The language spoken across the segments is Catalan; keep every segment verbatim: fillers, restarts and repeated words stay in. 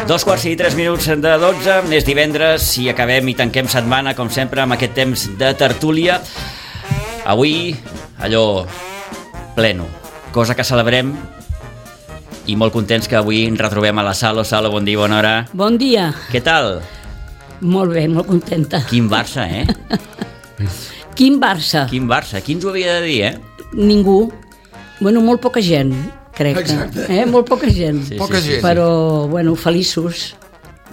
Dos quarts i tres minuts de dotze, és divendres i acabem i tanquem setmana, com sempre, amb aquest temps de tertúlia. Avui, allò, pleno, cosa que celebrem i molt contents que avui ens retrobem a la Salo. Salo, bon dia, bona hora. Bon dia. Què tal? Molt bé, molt contenta. Quin Barça, eh? Quin Barça? Quin Barça, qui ens ho havia de dir, eh? Ningú. Bueno, molt poca gent, crec. Exacte. Eh? Molt poca gent. Sí, Poca sí, sí. gent. Però, bueno, feliços.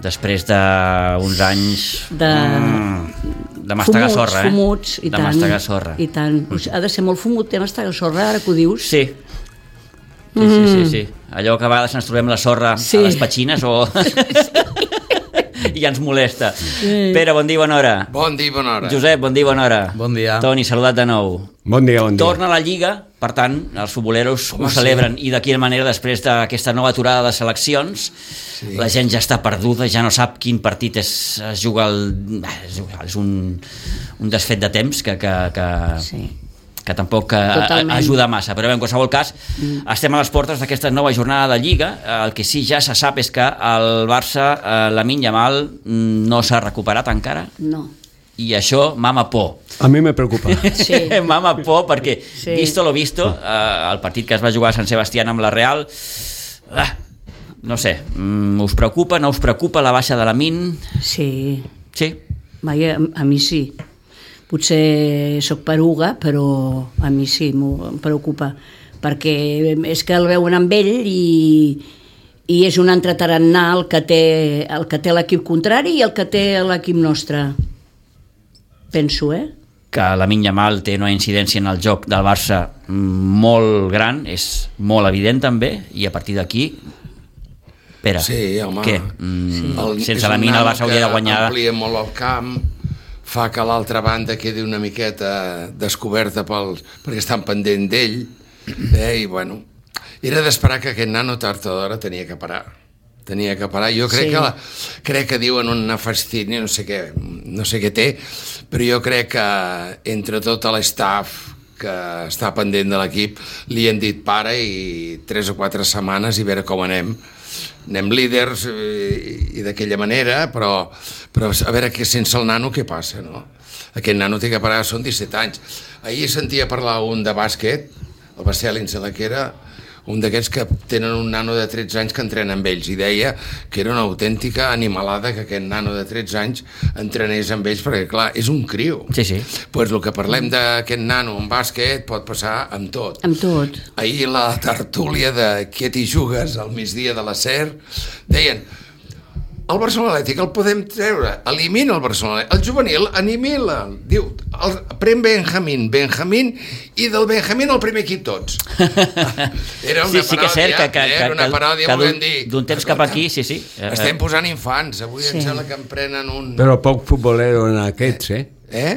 Després d'uns anys De... mm, de mastegar fumuts, sorra, eh? Fumuts, i de tant. mastegar sorra. I tant. Mm. Ha de ser molt fumut, té mastegar sorra, ara que ho dius. Sí. Sí, sí, sí, sí. Allò que a vegades ens trobem la sorra Sí. a les petxines o... i ens molesta. Sí. Pere, bon dia, bona hora. Bon dia, bona hora. Josep, bon dia, bona hora. Bon dia. Toni, saludat de nou. Bon dia, bon dia. Torna a la Lliga, per tant, els futboleros Home, ho celebren, sí. I de quina manera, després d'aquesta nova aturada de seleccions, sí. La gent ja està perduda, ja no sap quin partit és, es juga el... és un, un desfet de temps que... que, que... Sí. que tampoc eh, Totalment. ajuda massa, però bé, en qualsevol cas mm. estem a les portes d'aquesta nova jornada de Lliga. El que sí ja se sap és que el Barça, eh, Lamine Yamal, no s'ha recuperat encara, No. i això mama por. A mi me preocupa. Sí. Mama por perquè, Sí. visto lo visto, eh, el partit que es va jugar a Sant Sebastián amb la Real, ah, no sé, mm, us preocupa, no us preocupa la baixa de Lamine? Sí. Sí? Vaja, a, a mi sí. Potser sóc peruga, però a mi sí, em preocupa, perquè és que el veuen amb ell i, i és un entretarannà el que té el que té l'equip contrari i el que té l'equip nostre. Penso, eh? Que Lamine Yamal té una incidència en el joc del Barça molt gran, és molt evident també, i a partir d'aquí, Pere, Sí, home. què? Mm, Sí. El- sense és un Lamine el nano Barça hauria de guanyar. que amplia molt el camp, fa que l'altra banda quedi una miqueta descoberta pels, perquè estan pendent d'ell, eh, i bueno, era d'esperar que aquest nano tard o d'hora tenia que parar. Tenia que parar. Jo crec, Sí. que la, crec que diuen una fastídia, no sé què, no sé què té, però jo crec que entre tot l'staff que està pendent de l'equip li han dit para i tres o quatre setmanes i veure com anem. Anem líders i, i d'aquella manera, però, però a veure que sense el nano què passa, no? Aquest nano té que parar, són disset anys. Ahir sentia parlar un de bàsquet, el Bassèlins, la que era un d'aquests que tenen un nano de tretze anys que entrena amb ells, i deia que era una autèntica animalada que aquest nano de tretze anys entrenés amb ells, perquè clar, és un criu. Sí, sí. Pues el que parlem d'aquest nano en bàsquet pot passar amb tot. Amb tot. Ahir la tertúlia de Què t'hi jugues al migdia de la SER deien el Barcelona Atlètic el podem treure, elimina el Barcelona, el juvenil animila, diu el, pren Benjamín, Benjamín i del Benjamín el primer equip tots. Era una Sí, sí que és cert que, que, eh? que, Era una que, paròdia, que volem d'un dir. d'un temps cap aquí, sí, sí. Estem posant infants, avui Sí. em sembla que em prenen un... Però poc futbolero en aquests, eh? Eh?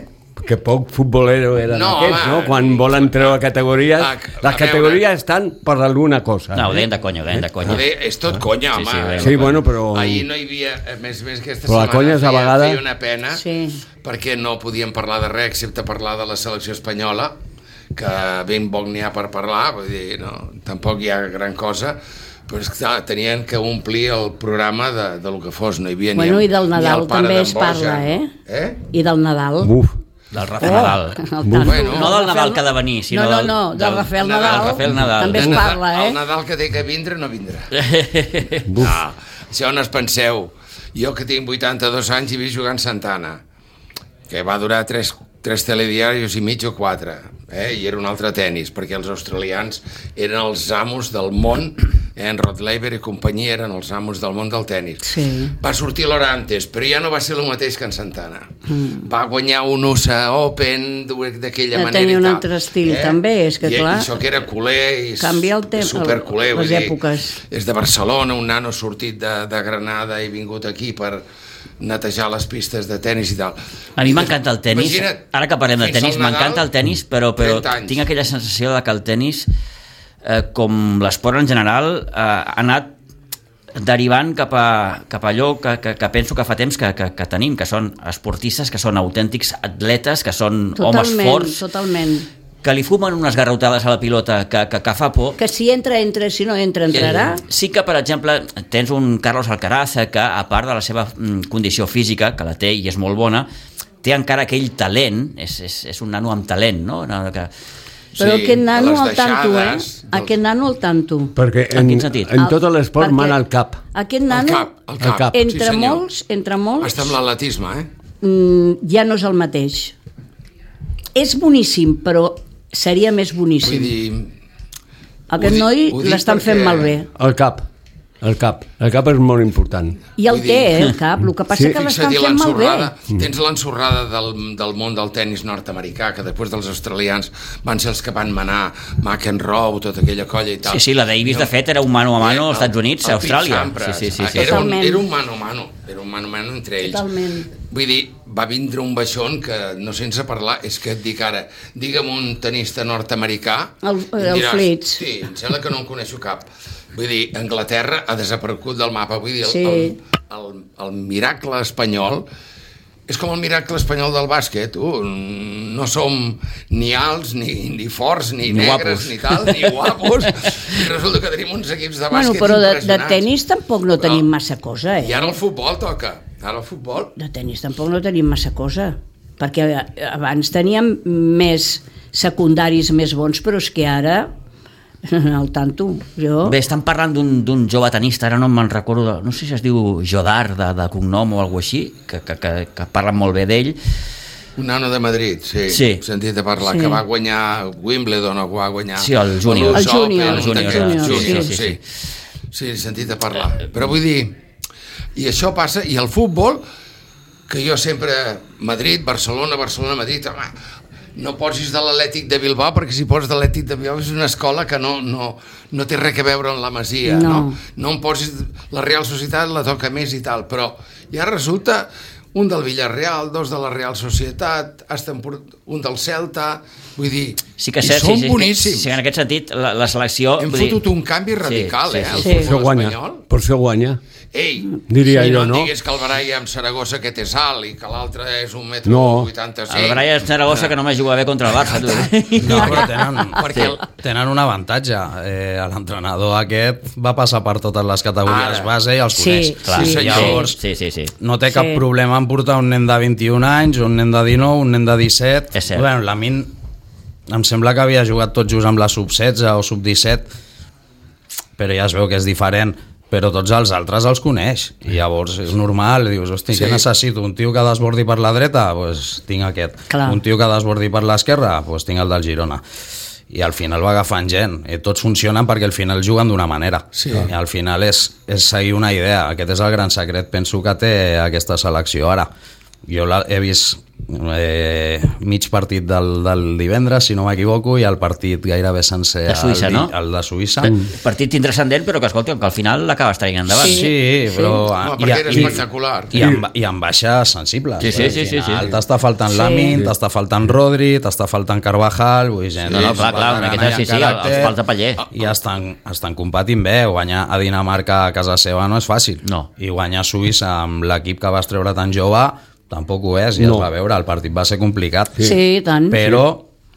Que poc futbolero eren No, aquests, home. no? Quan volen treure categories... Ah, a Les veure. categories estan per alguna cosa. No, ho eh? deien de conya, ho deien de conya. Joder, és tot conya, Sí, home. sí, ho deien Sí, bueno, però... Ahir no hi havia, a més a més aquesta Però la setmana conya és a feia, vegades- feia una pena, Sí. perquè no podíem parlar de res excepte parlar de la selecció espanyola, que ben poc n'hi ha per parlar, vull dir, no, tampoc hi ha gran cosa, però és clar, tenien que omplir el programa de, de lo que fos, no hi havia Bueno, ni, i del ni Nadal el pare també d'en es parla, Boja. eh? Eh? I del Nadal. Buf. Del Rafael Nadal. El Buf. Nadal. Bueno. No del Nadal que ha de venir, sinó no, no, del- no, del, del- Rafael del Nadal, Rafael Nadal. també es El Nadal- parla, eh? El Nadal que té que vindre no vindrà. Buf. No, això on es penseu? Jo que tinc vuitanta-dos anys i visc jugant Santana, que va durar tres, tres telediaris i mig o quatre, eh? I era un altre tennis, perquè els australians eren els amos del món, eh? En Rod Laver i companyia eren els amos del món del tennis. Sí. Va sortir l'Orantes, però ja no va ser el mateix que en Santana. Mm. Va guanyar un U S A Open d'aquella Ja manera tenia i un tal. altre estil, també, és que I, clar, I això que era culer i canvia el temps, superculer, les vull dir, èpoques. és de Barcelona, un nano sortit de, de Granada i vingut aquí per netejar les pistes de tennis i tal. A mi m'encanta el tennis. Imagina't, Ara que parlem de fins tennis, al Nadal, m'encanta el tennis, però, però trenta anys. tinc aquella sensació de que el tennis, eh, com l'esport en general, eh, ha anat derivant cap a, cap a allò que, que, que penso que fa temps que, que, que tenim, que són esportistes, que són autèntics atletes, que són homes totalment, forts, totalment. que li fumen unes garrotades a la pilota que, que, que fa por. Que si entra, entra, si no entra, entrarà. Sí que, per exemple, tens un Carlos Alcaraz que, a part de la seva condició física, que la té i és molt bona, té encara aquell talent, és, és, és un nano amb talent, no? Que... Però Sí, aquest nano de les al tanto, eh? deixades, dels- Aquest nano al tanto. Perquè En en, quin sentit? en tot El- l'esport perquè mana el cap. Aquest El nano, cap, el cap. El cap. entre Sí, senyor. molts, entre molts, Està amb l'atletisme, eh? mm, ja no és el mateix. És boníssim, però seria més Vull boníssim. dir... Aquest ho dic- noi ho dic l'estan fent perquè- malbé. El cap. El cap. El cap és molt important. I el Vull té, dir- eh, el cap. El que passa Sí. que l'estan Fixa-t'hi fent malbé. l'ensorrada, tens l'ensorrada del, del món del tennis nord-americà, que després dels australians van ser els que van manar McEnroe, tota aquella colla i tal. Sí, sí, la Davis, de fet, era un mano a mano als El- Estats Units, el a Austràlia. Pete Sampras. Sí, sí, sí, sí. Era, un, Totalment. era un mano a mano, era un mano a mano entre ells. Totalment. Vull dir, va vindre un baixón que, no sense parlar, és que et dic ara, digue'm un tenista nord-americà... El- i em el diràs, Fritz. Sí, em sembla que no en coneixo cap. Vull dir, Anglaterra ha desaparegut del mapa. Vull dir, el, Sí. el, el, el miracle espanyol és com el miracle espanyol del bàsquet. Uh, no som ni alts, ni, ni forts, ni, Ni negres, guapos. ni tal, ni guapos. I resulta que tenim uns equips de Bueno, bàsquet però de, de impressionants. tenis tampoc no Però- tenim massa cosa, I eh? ara el futbol toca. Ara el futbol... De tenis tampoc no tenim massa cosa. Perquè abans teníem més secundaris més bons, però és que ara... Al tanto, jo... Bé, estan parlant d'un d'un jove tenista, ara no me'n recordo, no sé si es diu Jodar de, de cognom o alguna així, que, que, que, que parlen molt bé d'ell. Un nano de Madrid, sí. Sí. He sentit a parlar, Sí. que va guanyar Wimbledon o va guanyar... Sí, el júnior. l'U S El júnior, Open, el un júnior, d'aquests, el júnior, sí, sí, sí. Sí, he sentit a parlar. Però vull dir, i això passa, i el futbol, que jo sempre, Madrid, Barcelona, Barcelona, Madrid, home, no posis de l'Atlètic de Bilbao, perquè si poses de l'Atlètic de Bilbao és una escola que no, no, no té res a veure amb la Masia, no. No. no? No em posis... La Real Societat la toca més i tal, però ja resulta un del Villarreal, dos de la Real Societat, hasta un del Celta, vull dir, Sí que és i cert, són sí, sí, boníssims. sí, en aquest sentit, la, la selecció... Hem vull dir- fotut un canvi radical, Sí, sí, eh, sí, al sí. Per això futbol guanya. espanyol. Per això guanya. Ei, Diria si jo, no no? em diguis que el Baralla amb Saragossa que té salt i que l'altre és un metro No. vuitanta-cinc. El Brian Zaragoza, que només juga bé contra el Barça, tu. No, però tenen, Perquè el- tenen un avantatge. Eh, L'entrenador aquest va passar per totes les categories Ara. base i els Sí, coneix. Clar, Sí, senyor. Llavors, sí, sí, sí. no té cap Sí. problema en portar un nen de vint-i-un anys, un nen de dinou, un nen de disset. És cert. Bueno, la Min em sembla que havia jugat tot just amb la sub setze o sub disset, però ja es veu que és diferent. Però tots els altres els coneix i llavors és normal, dius, hosti, Sí. què necessito? Un tio que desbordi per la dreta? Doncs pues tinc aquest. Clar. Un tio que desbordi per l'esquerra? Doncs pues tinc el del Girona. I al final va agafant gent, i tots funcionen perquè al final juguen d'una manera, Sí. i al final és, és seguir una idea. Aquest és el gran secret, penso, que té aquesta selecció ara. Jo la, he vist eh, mig partit del, del divendres, si no m'equivoco, i el partit gairebé sencer, De Suïssa, el, di- no? el de Suïssa. Partit intrascendent, però que, escolta, que al final l'acabes traient endavant. Sí, sí, però... Home, perquè era espectacular. I, amb, I amb baixes sensibles. Sí, sí, Al sí, sí, final sí. T'està faltant Sí. Lamin, t'està faltant Rodri, t'està faltant Carvajal, vull dir, gent, No, no, clar, clar, una miqueta, sí, sí, els falta paller. I estan, estan competint bé. Guanyar a Dinamarca a casa seva no és fàcil. No. I guanyar a Suïssa amb l'equip que vas treure tan jove tampoc ho és, ja No. es va veure, el partit va ser complicat. Sí, sí tant. Però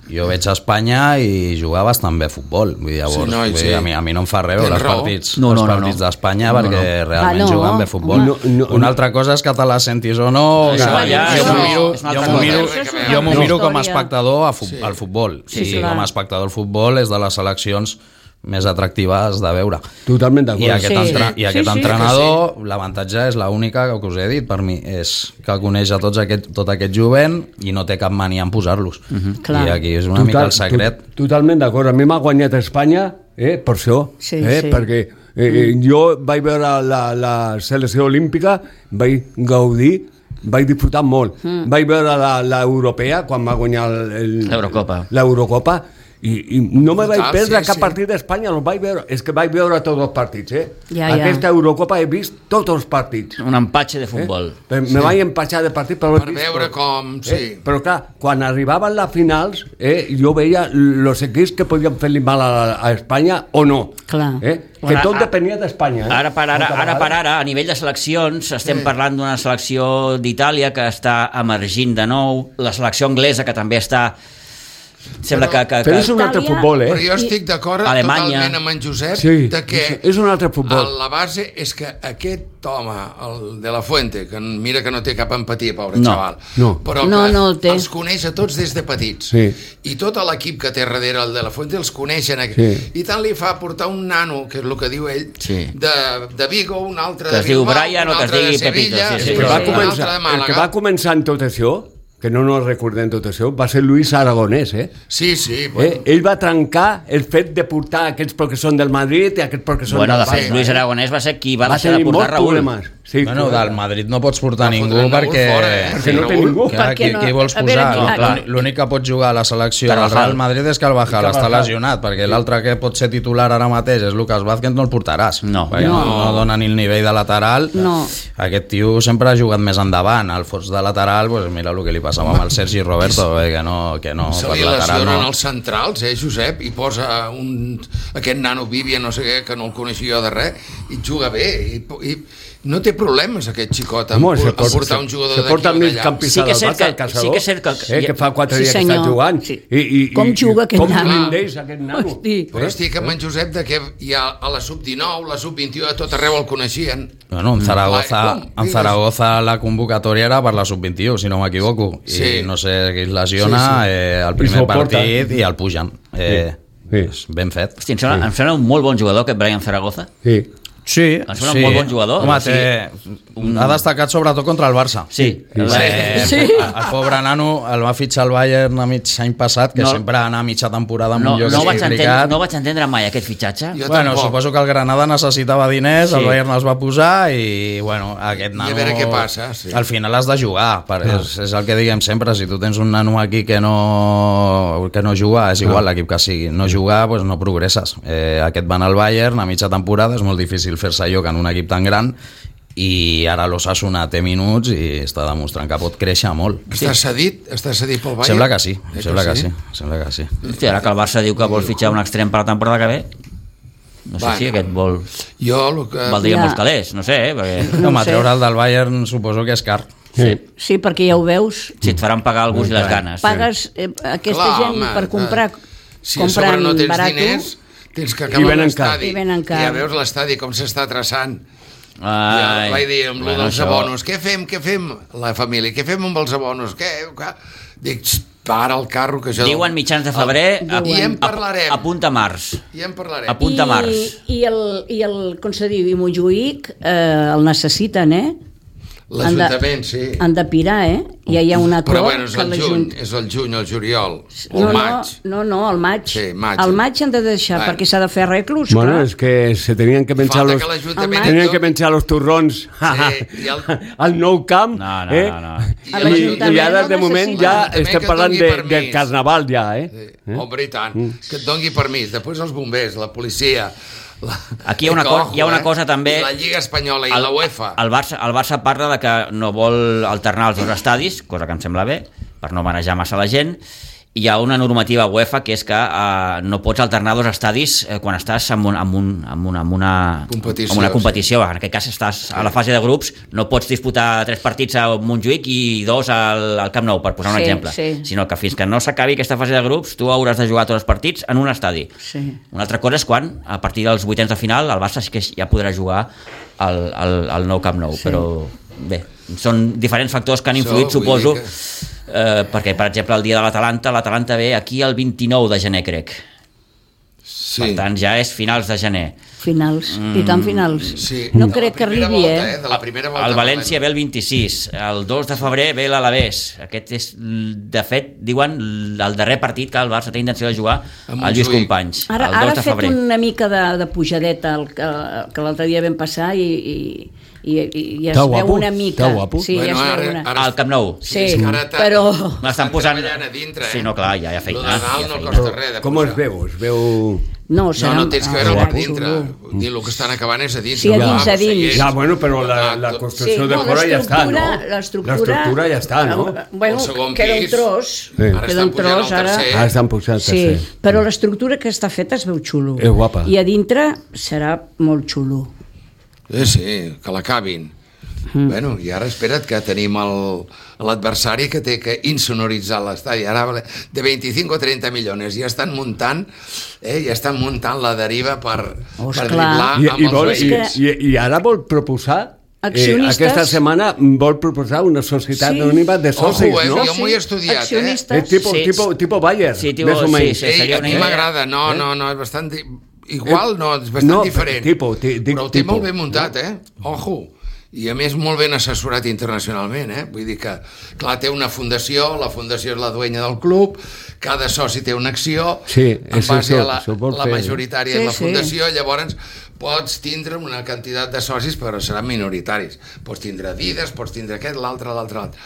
jo veig a Espanya i jugar bastant bé a futbol. Vull dir, llavors, Sí, no, i vull sí. dir, a, mi, a mi no em fa res veure Tens els raó. partits, No, no, els no, partits no. d'Espanya No, no. perquè realment Ah, no. juguen bé a futbol. No, no, Una altra cosa és que te la sentis o no. Això que ja jo és m'ho una- miro, és una jo altra m'ho cosa. miro, Això és una jo m'ho altra miro com a història. espectador a fu Sí. al futbol. Sí, I clar. com a espectador al futbol és de les seleccions més atractives de veure. Totalment d'acord. I aquest, Sí. entra, i Sí, aquest sí. entrenador, l'avantatge és l'única que us he dit per mi, és que coneix a tots aquest, tot aquest jovent i no té cap mania en posar-los. Clar. I aquí és una mica el secret. To- Totalment d'acord. A mi m'ha guanyat Espanya, eh, per això. Sí, eh, sí. Perquè eh, jo vaig veure la, la selecció olímpica, vaig gaudir, vaig disfrutar molt. Mm. Vaig veure la- l'europea, quan va guanyar el- el- L'Eurocopa. l'Eurocopa, i, i no me vaig Total, perdre sí, cap sí. partit d'Espanya, no vaig veure. És que vaig veure tots els partits, eh? Ja, ja. Aquesta Eurocopa he vist tots els partits. Un empatge de futbol. Eh? Me vaig empatxar de partit per, Per veure com... Sí. Eh? Però clar, quan arribaven les finals, eh, jo veia els equips que podien fer-li mal a, a Espanya o no. Clar. Eh? Que Ara- tot depenia d'Espanya. Eh? Ara per ara, Moltes ara per vegades. ara, a nivell de seleccions, estem parlant d'una selecció d'Itàlia que està emergint de nou, la selecció anglesa que també està Sembla que... que, Però que... és un altre Itàlia- futbol, eh? Però jo estic d'acord Alemanya. totalment amb en Josep Sí, de que és un altre futbol. la base és que aquest home, el de la Fuente, que mira que no té cap empatia, pobre No. xaval, No. però No, que no el té. els coneix a tots des de petits. Sí. I tot l'equip que té darrere el de la Fuente els coneixen. Sí. I tant li fa portar un nano, que és el que diu ell, Sí. de, de Vigo, un altre Que de es diu Bilbao, Brian un o que es altre de digui Pepito, Sevilla, sí, sí. El que, va un altre començar, de el que Màlaga. va començar en tot això, que no no recordem tot això, va ser Luis Aragonès, eh? Sí, sí. eh? Bueno. Ell va trencar el fet de portar aquests perquè són del Madrid i aquests perquè són Bueno, de del fet, Barça. Luis Aragonès va ser qui va, va deixar de tenir portar molts Raúl. problemes. Sí, Bueno, clar. del Madrid no pots portar Va ningú fotre el Raúl perquè... fora, eh? Perquè no té Raúl. ningú. Clar, Perquè qui, no- qui vols a veure, posar? qui- No, clar. l'únic- L'únic que pot jugar a la selecció del Carvajal. Real Madrid és Carvajal, està Carvajal. lesionat, perquè l'altre que pot ser titular ara mateix és Lucas Vázquez, no el portaràs. No. Perquè no. No. no dona ni el nivell de lateral. No. Aquest tio sempre ha jugat més endavant. Al fons de lateral, pues mira el que li passava amb el Sergi Roberto, eh, que no, que no Se per li lateral lesionen no. els centrals, eh, Josep, i posa un, aquest nano Vivian, no sé què, que no el coneixia jo de res, i juga bé, i, i no té problemes aquest xicot amb, Home, se amb porta, portar un jugador se d'aquí porta o mig d'allà. campista Sí que del és cert Barça, que- el Caçador, sí que és cert que- eh, que fa quatre Sí, dies que senyor. està jugant. Sí. I, i, Com i, juga aquest com nano? rendeix aquest nano? Hosti. Però estic amb en Josep de que hi ha a la sub dinou, la sub vint i u, a tot arreu el coneixien. Bueno, en Zaragoza, Ai, com? en Zaragoza la convocatòria era per la sub vint i u, si no m'equivoco. Sí. I no sé qui es lesiona, Sí, sí. eh, el I primer s'ho porta. partit i el pugen. Eh, Sí. és ben fet. Hosti, em sembla, em sembla un molt bon jugador aquest Brian Zaragoza. Sí. Sí, Em sembla un molt bon jugador. Home, O sigui, té, ha destacat sobretot contra el Barça. Sí. Sí. Eh, Sí. El, el pobre nano el va fitxar el Bayern a mig any passat, que No. no, sempre anar a mitja temporada amb No, un lloc no, vaig entendre, complicat. no vaig entendre mai aquest fitxatge. Jo Bueno, tampoc. suposo que el Granada necessitava diners, Sí. el Bayern els va posar i, bueno, aquest nano... a veure què passa, sí. Al final has de jugar, per, és, és el que diguem sempre, si tu tens un nano aquí que no, que no juga, és igual l'equip que sigui, no jugar, doncs no progresses. Eh, aquest va al Bayern a mitja temporada, és molt difícil fer-se lloc en un equip tan gran, i ara l'Osasuna té minuts i està demostrant que pot créixer molt. Està cedit? Està cedit pel Bayern? Sembla que sí, Eh sembla que sí, sembla que sí. Hosti, ara que el Barça diu que vol fitxar un extrem per la temporada que ve, no sé Bueno. si aquest vol... Jo el que... Valdria Ja. molts calés, no sé, eh? Perquè No Home, ho sé. treure'l del Bayern suposo que és car. sí. Sí, perquè ja ho veus, si et faran pagar el gust i les ganes. pagues eh, aquesta Clar, gent home, per comprar, Si a sobre compren no tens barato, diners, tens que I acabar venen l'estadi. car. I venen car. ja veus l'estadi com s'està traçant. Ai, Ja vaig dir amb bueno, bueno, dels això- abonos, què fem, què fem? La família, què fem amb els abonos? Què? Què? Dic, "Xt, para el carro que jo... Diuen mitjans de febrer, El- I en a, parlarem. a punta març. I en parlarem. A punta març. I, i, el, i el, com se diu, i Montjuïc eh, el necessiten, eh? L'Ajuntament, sí. Han de pirar, eh? Ja hi ha un acord Però bueno, és que el l'Ajunt- juny, és el juny, el juliol, o No, el maig. no, no, no, el maig. Sí, maig. El maig han de deixar, Bueno. perquè s'ha de fer arreglos, Bueno, clar. es que se tenían que menjar Falta los, que l'Ajuntament... tenían tot- que menjar los turrons i el- al nou camp, No, no, eh? no, no. A I, l'Ajuntament i ara no de moment necessita. ja L'Ajuntament estem que parlant doni de, permís. del carnaval ja, eh? Sí. Home, i tant. Que et doni permís. Després els bombers, la policia... La... Aquí hi ha una, co hi ha una cosa també... I la Lliga Espanyola i la UEFA. El Barça, el Barça parla de que no vol alternar els dos estadis, cosa que em sembla bé, per no manejar massa la gent. Hi ha una normativa UEFA que és que eh, no pots alternar dos estadis eh, quan estàs en, un, en, un, en, una, en, una, Competició, en una competició. En aquest cas estàs a la fase de grups, no pots disputar tres partits a Montjuïc i dos al, al Camp Nou, per posar un Sí, exemple. sí. Sinó que fins que no s'acabi aquesta fase de grups, tu hauràs de jugar tots els partits en un estadi. Sí. Una altra cosa és quan, a partir dels vuitens de final, el Barça sí que ja podrà jugar al, al, al nou Camp Nou, sí. Però bé, són diferents factors que han influït, Això, vull suposo, dir que- eh, perquè, per exemple, el dia de l'Atalanta, l'Atalanta ve aquí el vint-i-nou de gener, crec. Sí. Per tant, ja és finals de gener. Finals, i tant finals. Sí. No De la crec que primera arribi, volta, eh? De la primera volta El València parlem. ve el vint-i-sis, el dos de febrer ve l'Alavés. Aquest és, de fet, diuen el darrer partit que el Barça té intenció de jugar Amb al Lluís Montjuïc. Companys, Ara, el ara dos ha de fet febrer. una mica de, de pujadeta el, que, que l'altre dia vam passar i, i, i, i ja es Està veu guapo, una mica. està guapo. Sí, Bueno, ja es ara- veu una... ara- Al Camp Nou. Sí, és que ara t'ha- però... L'estan posant... treballant a dintre, eh? Sí, no, clar, ja hi ha feina. Lo de dalt hi ha no feina. costa res de Com posar. es veu? Es veu... No, No, serà... no tens que ah, veure serà per dintre. xulo. Dir, el que estan acabant és a dins. Sí, a no dins, va, a dins. segueix. Ja, bueno, però la, la Ah, construcció Sí, de no, fora ja està, no? l'estructura- L'estructura... L'estructura ja està, no? Eh, Bueno, El segon queda un pis. tros. Sí. Ara Queda estan un pujant tros, al ara... tercer. Ara estan pujant Sí, tercer. però l'estructura que està feta es veu xulo. És guapa. I a dintre serà molt xulo. Eh, sí, que l'acabin. Mm. Bueno, i ara espera't que tenim el, l'adversari que té que insonoritzar l'estadi. Ara de vint-i-cinc o trenta milions ja estan muntant, eh, ja estan muntant la deriva per, Oh, per esclar. driblar I, amb i, els vol, i, veïns. i, I ara vol proposar, eh, Accionistes. aquesta setmana vol proposar una societat Sí. anònima de socis, Ojo, eh, no? jo m'ho he estudiat, eh? Accionistes. És tipo, Sí. tipo, tipo Bayer, Sí, tipo- més o sí, menys. sí. Ei, seria a una mi idea. m'agrada, no, Eh? no, no, és bastant... di- Igual, no, és bastant No, diferent. tipo, ti- dic però el té tipo. molt ben muntat, eh? Ojo. I a més molt ben assessorat internacionalment, eh? Vull dir que, clar, té una fundació, la fundació és la duenya del club, cada soci té una acció, Sí, en és base això, a la, això vol la fer. majoritària Sí, és la sí. fundació, llavors pots tindre una quantitat de socis, però seran minoritaris. Pots tindre Adidas, pots tindre aquest, l'altre, l'altre, l'altre.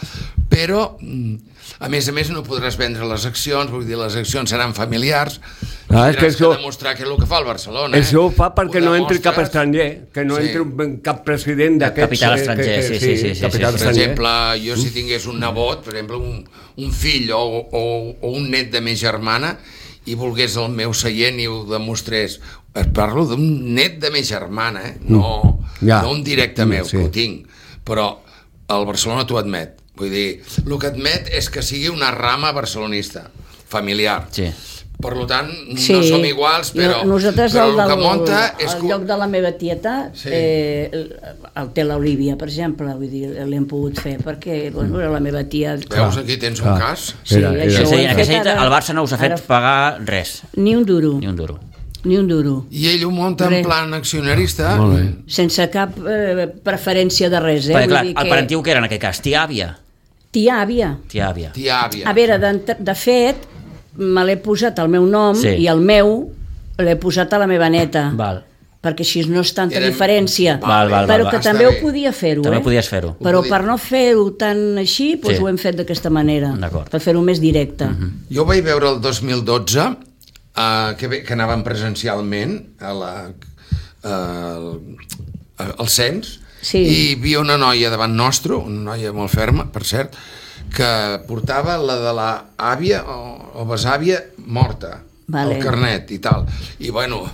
Però, mm, a més a més, no podràs vendre les accions, vull dir, les accions seran familiars, Ah, és tindràs que que, això- demostrar que és el que fa el Barcelona. Això ho eh? fa perquè Ho no entri cap demostres. estranger, que no Sí. entri un- cap president d'aquests... Capital eh, estranger, que- sí, sí, sí, sí, capital sí, sí. Per estranger. exemple, jo si tingués un nebot, per exemple, un, un fill o, o, o un net de més germana, i volgués el meu seient i ho demostrés, es parlo d'un net de més germana, eh? no, Ja. no un directe Ja, meu, sí. que ho tinc, però el Barcelona t'ho admet. Vull dir, el que admet és que sigui una rama barcelonista, familiar. Sí. Per tant, Sí. no som iguals, però, No- Nosaltres però el, el del, que munta és... el que- lloc de la meva tieta Sí. eh, el, el té l'Olívia, per exemple, vull dir, l'hem pogut fer perquè bueno, era la meva tia. Veus, aquí tens un Clar. cas? Sí, Era- això era- És a ho dir, hem en aquesta fet nit ara- el Barça no us ha fet ara- pagar res, Ni un duro, ni un duro. ni un duro. I ell ho munta en Res. plan accionarista. Molt bé. Sense cap eh, preferència de res, eh? Perquè, Vull clar, dir el parentiu que era en aquest cas? Tia-àvia. Tia-àvia. Tia-àvia. Tia àvia. A veure, de, de fet, me l'he posat al meu nom Sí. i el meu l'he posat a la meva neta. Val. Perquè així no és tanta Eren- diferència. Val, val, però val, que val. també Està ho bé. podia fer-ho, També eh? podies fer-ho. Però Ho podia- per no fer-ho tan així, doncs Sí. ho hem fet d'aquesta manera. D'acord. Per fer-ho més directe. Jo ho vaig veure el dos mil dotze, uh, que, ve- que anàvem presencialment a la, uh, al cens, Sí. i hi havia una noia davant nostre, una noia molt ferma, per cert, que portava la de la àvia o, o besàvia morta, Vale. el carnet i tal. I bueno,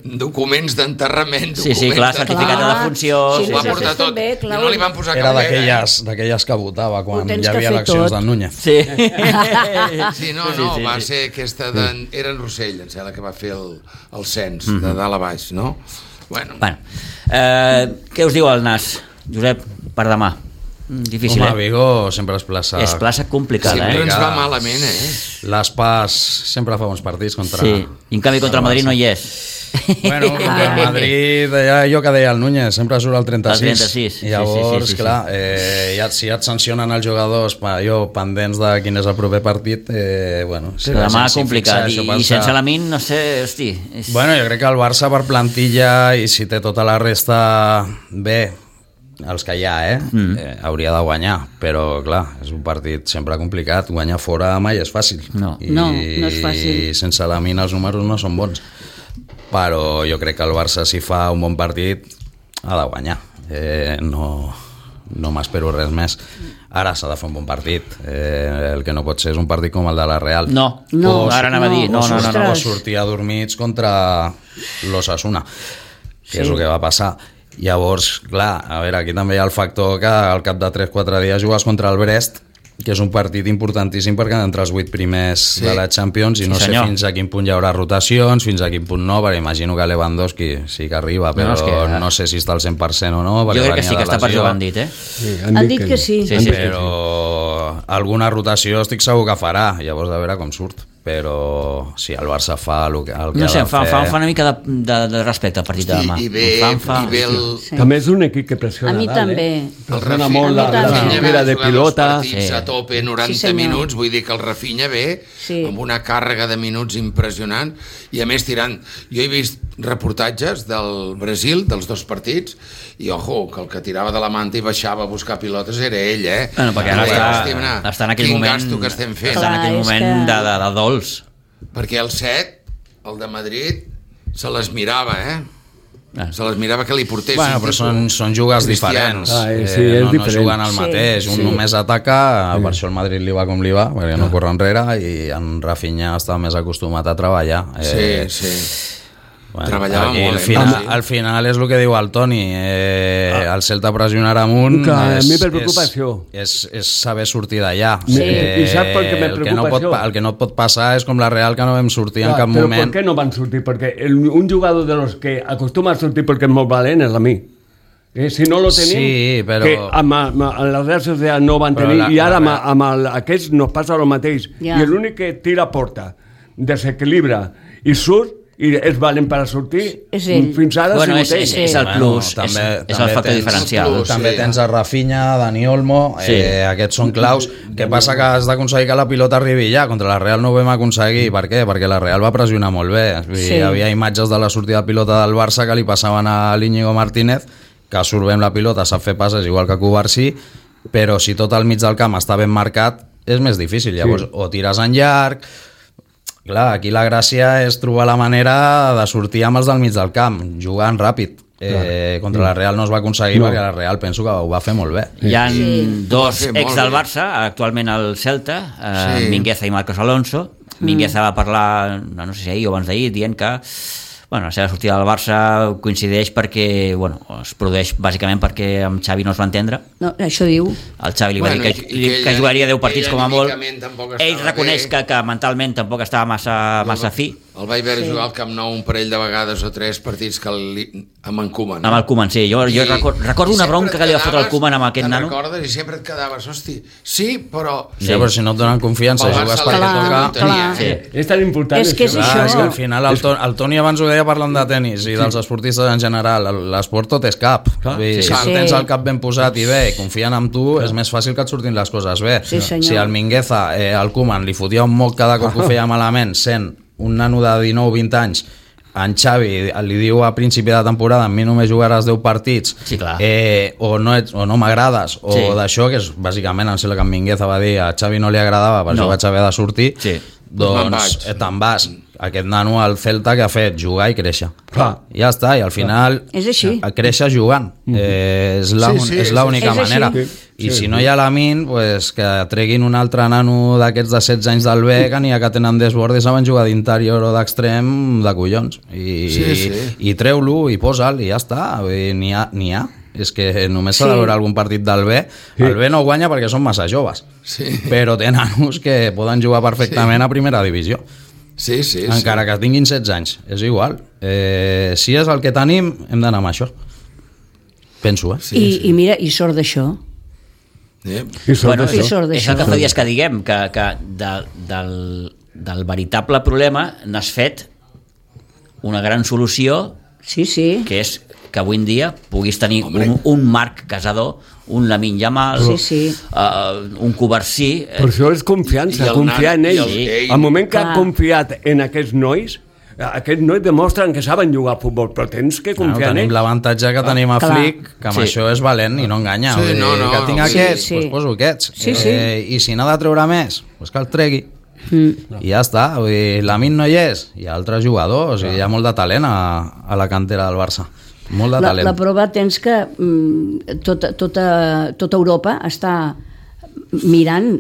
documents d'enterrament, Sí, sí, documents clar, de- certificat de defunció, Sí, sí, Ho va sí, portar sí. tot, També, i clar, no li van posar Era cap pega, eh? d'aquelles d'aquelles que votava quan Ho tens hi que havia fer eleccions tot. del Núñez. Sí. Sí, no, Sí, no, sí, va sí. ser aquesta de... Era en Rossell, em sembla que va fer el, el cens, de dalt a baix, no? Bueno, Bueno, eh, què us diu el Nas, Josep, per demà? Mm, Difícil, Home, eh? Vigo sempre és plaça... És plaça complicada, sempre eh? ens va malament, eh? Les Pas sempre fa uns partits contra... Sí, i en canvi contra el Madrid no hi és. Bueno, contra el Madrid, ja, jo que deia el Núñez, sempre surt el trenta-sis. El trenta-sis, sí, I llavors, sí, sí, sí, clar, eh, ja, si ja et sancionen els jugadors, pa, jo pendents de quin és el proper partit, eh, bueno... Si Però la demà gent s'hi complicat, fixa, i, això i passa- sense la Min, no sé, hosti... És... Bueno, jo crec que el Barça per plantilla i si té tota la resta bé, els que hi ha, eh? Mm. eh hauria de guanyar, però clar, és un partit sempre complicat, guanyar fora mai és fàcil. No. I, No, no és fàcil. I sense la mina els números no són bons. Però jo crec que el Barça, si fa un bon partit, ha de guanyar. Eh, no no m'espero res més. Ara s'ha de fer un bon partit. Eh, el que no pot ser és un partit com el de la Real. No, No, ara anava a dir, no, o, no, no, no. o Ostres. sortir adormits contra l'Osasuna, que Sí. és el que va passar. Llavors, clar, a veure, aquí també hi ha el factor que al cap de tres quatre dies jugues contra el Brest, que és un partit importantíssim perquè han d'entrar els vuit primers Sí. de la Champions i Sí, no sé senyor. fins a quin punt hi haurà rotacions, fins a quin punt no, perquè imagino que Lewandowski sí que arriba, però No, no, és que- no sé si està al cent per cent o no. Jo perquè crec que venia sí que de està per lesió. jugar, han dit, eh? Sí, Han dit que sí. Sí, Han sí, dit sí. que Però alguna rotació estic segur que farà, llavors de veure com surt. Però si el Barça fa el que, el que No ha sé, de em fa, em fer... fa, em fa una mica de, de, de respecte al partit de demà. I, i ve, Em fa, em fa... i ve el... Sí. També és un equip que pressiona A mi dalt, també. Eh? El Pressiona Rafinha, molt la, A mi la també. frontera de jugar dos pilota. partits Sí. a tope noranta Sí, senyor. minuts, vull dir que el Rafinha ve Sí. amb una càrrega de minuts impressionant i a més tirant, jo he vist reportatges del Brasil, dels dos partits, i ojo, que el que tirava de la manta i baixava a buscar pilotes era ell, eh? Bueno, perquè ara Deia, està, "Hosti, mira, està en aquell quin moment... gasto que estem fent. Està en aquell Clar, és moment que- de, de, de dolç. Perquè el set, el de Madrid, se les mirava, eh? Ah. Se les mirava que li portessin. Bueno, però són, són jugues Cristiano. diferents. Ah, eh, sí, eh, és no, diferent. no juguen al Sí, mateix. Un sí. només ataca, per això el Madrid li va com li va, perquè no corre enrere, i en Rafinha està més acostumat a treballar. Eh, Sí, sí. Bueno, Treballava aquí molt, al, eh? final, Sí. al final és el que diu el Toni, eh, ah. el Celta pressionarà amunt Clar, a és, mi per preocupació. és, és, és saber sortir d'allà. Sí. I sap per què me el, que no preocupa pot, això? el que no et pot passar és com la Real, que no vam sortir Clar, en cap però moment. per què no van sortir? Perquè el, un jugador de los que acostuma a sortir perquè és molt valent és a mi. Eh, si no lo tenim, Sí, però- que amb, amb, amb la Real Sociedad no van Però tenir, la- i ara la amb, Real- amb el, aquests nos passa el mateix. Ja. I l'únic que tira a porta, desequilibra i surt, i és valent per a sortir, És ell. fins ara Bueno, ha és, sigut és, ell. és el Bueno, plus, també- és, és també el factor tens- diferencial. plus. També Sí. tens a Rafinha, Dani Olmo, Sí. eh, aquests són claus. Què passa que has d'aconseguir que la pilota arribi ja. Contra la Real no ho vam aconseguir. Per què? Perquè la Real va pressionar molt bé. Vull dir, Sí. Hi havia imatges de la sortida de pilota del Barça que li passaven a l'Íñigo Martínez, que surt bé amb la pilota, sap fer passes igual que Cubarsí, però si tot al mig del camp està ben marcat, és més difícil. Llavors, o tires en llarg. Clar, aquí la gràcia és trobar la manera de sortir amb els del mig del camp, jugant ràpid. Eh, contra la Real no es va aconseguir No. perquè la Real penso que ho va fer molt bé. Hi ha Sí. dos Ho va fer ex molt del bé. Barça, actualment al Celta, eh, Sí. Mingueza i Marcos Alonso. Mingueza va parlar, no sé si ahir o abans d'ahir, dient que bueno, la seva sortida del Barça coincideix perquè, bueno, es produeix bàsicament perquè amb Xavi no es va entendre. No, això diu. El Xavi li va Bueno, dir que, i- i que que ella- jugaria deu partits ella com a molt. anímicament tampoc Ell estava reconeix bé. que, que mentalment tampoc estava massa, massa fi. El vaig veure jugar al Camp Nou un parell de vegades o tres partits que li, amb en Koeman. Amb el Koeman, sí. Jo, jo I- record, recordo i una sempre bronca et que li va fotre el quedaves- Koeman amb aquest te'n nano. recordes? I sempre et quedaves, hosti, sí, però... Sí. Ja, però si no et donen confiança, Pel Barça jugues la perquè gent Clar, toca... clar. Sí. És tan important És que és això. això. Clar, és que al final el, Toni, el Toni abans ho deia parlant de tennis i dels esportistes en general, l'esport tot és cap. Clar, Vull dir, sí. si Sí. tens el cap ben posat i bé i confien en tu, és més fàcil que et surtin les coses bé. Sí, senyor. Si al Mingueza, eh, al Koeman, li fotia un moc cada cop que ho feia malament, sent un nano de dinou vint anys, en Xavi li diu a principi de temporada amb mi només jugaràs deu partits, Sí, clar. eh, o no, ets, o no m'agrades, o Sí. d'això, que és bàsicament em sembla que en Mingueza va dir a Xavi no li agradava, per No. això vaig haver de sortir, Sí. doncs Me'n vaig. eh, te'n vas. Aquest nano al Celta que ha fet jugar i créixer. Clar. I ja està, i al final És així. a créixer jugant. Eh, és la- Sí, sí, és l'única és així. manera. Sí, I sí. si no hi ha la Min, pues, que treguin un altre nano d'aquests de setze anys del B, que n'hi ha que tenen desbord i saben jugar d'interior o d'extrem de collons. I, Sí, sí. i treu-lo i posa'l i ja està. Vull dir, N'hi ha, n'hi ha. És que només s'ha Sí. de veure algun partit del B. El B no guanya perquè són massa joves. Sí. Però té nanos que poden jugar perfectament a primera divisió. Sí, sí, Encara que tinguin setze anys, és igual. Eh, si és el que tenim, hem d'anar amb això. Penso, eh? sí. I, sí. I mira, i sort d'això. Eh? I sort Bueno, d'això. I sort és el que d'això. fa dies que diguem, que, que de, del, del veritable problema n'has fet una gran solució, Sí, sí. que és que avui en dia puguis tenir Hombre. un, un Marc Casador, un Lamine Yamal, Sí, sí. Uh, un Cubarsí... Per això és confiança, I el confiar en nan- i ells. el- ell- Al moment que Clar. ha confiat en aquests nois, aquests nois demostren que saben jugar a futbol, però tens que Bueno, confiar en tenim ells. l'avantatge que tenim a Clar. Flick, que amb Sí. això és valent i no enganya. Sí, Vull dir, no, no, que tinc no, sí, aquests, sí. doncs poso aquests. Sí, sí. Eh, I si n'ha de treure més, doncs que el tregui. Mm. I ja està. Vull dir, la Min no hi és, hi ha altres jugadors, i hi ha molt de talent a, a la cantera del Barça. Molt de La, talent. la prova tens que mm, tota, tota, tota Europa està mirant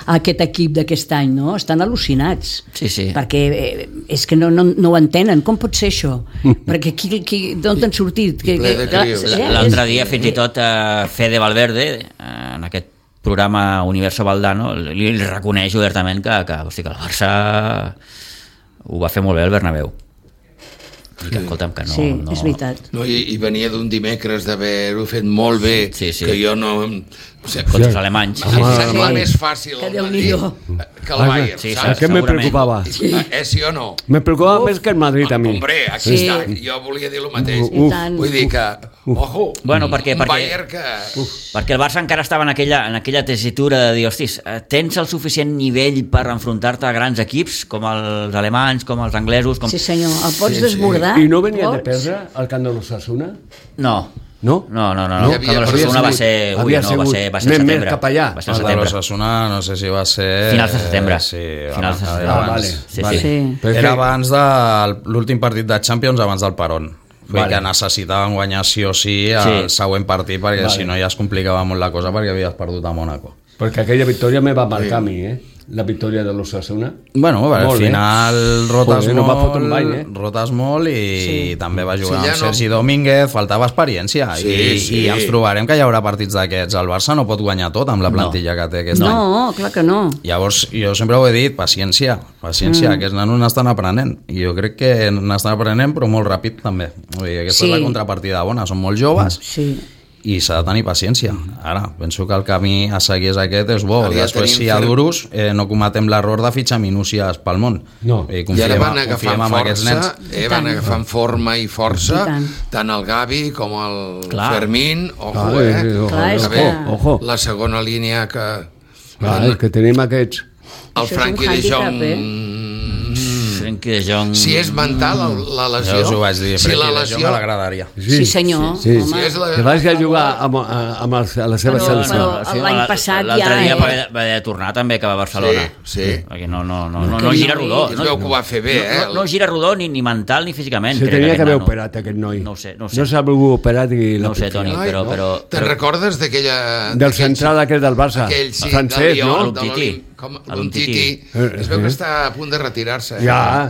aquest equip d'aquest any, no? Estan al·lucinats. Sí, sí. Perquè eh, és que no, no, no ho entenen. Com pot ser això? Perquè qui, qui, d'on t'han sortit? Que, Ple de clar, crios. eh, L'altre és- dia, fins i tot, eh, Fede Valverde, eh, en aquest programa Universo Valdano, li, li reconeix obertament que, que, hosti, que el Barça ho va fer molt bé el Bernabéu. I que, escolta'm, que no... Sí, no... és veritat. No, i, i venia d'un dimecres d'haver-ho fet molt bé, Sí, sí. que jo no... O sigui, Contra els alemanys. em sembla Sí. més fàcil Que el Déu-n'hi-do. Madrid que el Bayern, Sí, sí, saps? Aquest me segurament. preocupava. Eh, sí o no? Me preocupava més que el Madrid a mi. Hombre, aquí Sí. està. Jo volia dir el mateix. I tant. Vull dir que, ojo, Bueno, perquè- un perquè- Bayern que... Perquè el Barça encara estava en aquella, en aquella tessitura de dir, hostis, eh, tens el suficient nivell per enfrontar-te a grans equips, com els alemanys, com els anglesos... Com... Sí, senyor. El pots Sí, sí. desbordar? I no venia de Pots? perdre al camp de l'Ossassuna? No. No? No, no, no, Hi no. havia- Havia, havia no va sigut- ser... Ui, havia no, va sigut ser, va ser més- al més setembre. cap allà. Va ser al El de setembre. l'Ossassuna no sé si va ser... Finals de setembre. Sí, Finals de abans- setembre. Ah, abans. vale, Sí, vale. sí. Sí. Però és Era que- abans de l'últim partit de Champions, abans del Peron. Vull Vale. que necessitaven guanyar sí o sí el Sí. següent partit, perquè Vale. si no ja es complicava molt la cosa perquè havies perdut a Mònaco. Perquè aquella victòria me va marcar a mi, eh? la victòria de l'Osasuna. Bueno, al Molt bé. final rotes Joder, no va molt, fotre un bany, eh? rotes molt i Sí. també va jugar Sí, ja amb no- Sergi Domínguez, faltava experiència Sí, i, sí. i ens trobarem que hi haurà partits d'aquests. El Barça no pot guanyar tot amb la plantilla no. que té aquest any. No, clar que no. Llavors, jo sempre ho he dit, paciència, paciència, mm. aquests nanos n'estan aprenent, i jo crec que n'estan aprenent, però molt ràpid també. Vull dir, aquesta Sí. és la contrapartida bona, són molt joves, Sí. i s'ha de tenir paciència. Ara, penso que el camí a seguir és aquest, és bo. Ara ja Després, tenim si hi ha fer- duros, eh, no cometem l'error de fitxar minúcies pel món. No. I I confiem, ara van confiem agafant en aquests força, nens. eh, van tant. agafant forma i força, I tant. tant el Gavi com el Clar. Fermín, ojo, Ah, eh? sí, ojo, Clar, és A que- veure, ojo. la segona línia que... Clar, és que tenim aquests... El Això és un Frankie de hàndicap, Jong... eh? Frenkie de Jong... Si és mental el- la lesió... Ja us ho vaig dir, si la Frenkie de lesió... Jong m'agradaria. Sí, senyor. Sí, Home. Si és la... Que vagi a jugar amb, a- amb el, a la seva Però- selecció. però- l'any passat L'altre ja, dia eh? va haver, va haver de tornar també, que va a Barcelona. Sí, sí. Perquè no, no, no, no, Que no gira no, rodó. Es No, veu que ho va fer bé, eh? no, no gira rodó ni, ni mental ni físicament. Se crec, tenia aquest que haver nano. operat, aquest noi. No ho sé, no ho sé. No s'ha volgut operar i la No ho sé, Toni, Ai, però... no. però, Te'n però recordes d'aquella... Del central aquest del Barça. Aquell, sí, francès, del no? Lyon, de L'Umtiti. l'Olim- Com L'Umtiti. l'Umtiti. Eh, Es veu eh. que està a punt de retirar-se. Eh? Ja.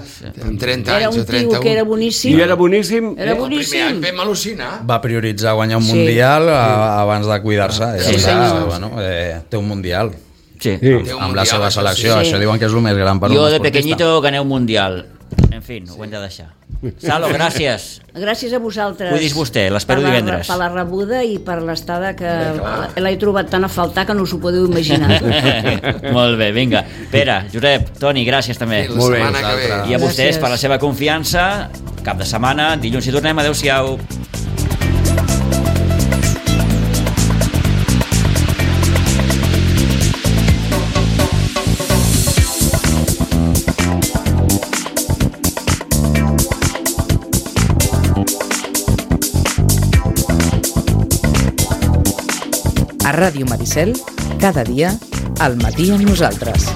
Amb trenta Era anys un o tio trenta-un. que era boníssim. I era boníssim. Era eh? boníssim. El primer any vam al·lucinar. Va prioritzar guanyar un Sí. mundial a, abans de cuidar-se. Sí, I ara, senyor. bueno, eh, té un mundial Sí. Sí. Té un amb la mundial, seva això selecció. sí. Això diuen que és el més gran per Jo un de esportista. pequeñito gané un mundial. En fi, ho hem de deixar. Salo, gràcies. Gràcies a vosaltres. Cuidis vostè, l'espero Per la- divendres. Per la rebuda i per l'estada que l'he trobat tan a faltar que no us ho podeu imaginar. Molt bé, vinga. Pere, Josep, Toni, gràcies també. La Molt bé, setmana que ve. vosaltres. I a vostès Gràcies. per la seva confiança. Cap de setmana, dilluns hi tornem. Adéu-siau. A Ràdio Maricel, cada dia, al matí amb nosaltres.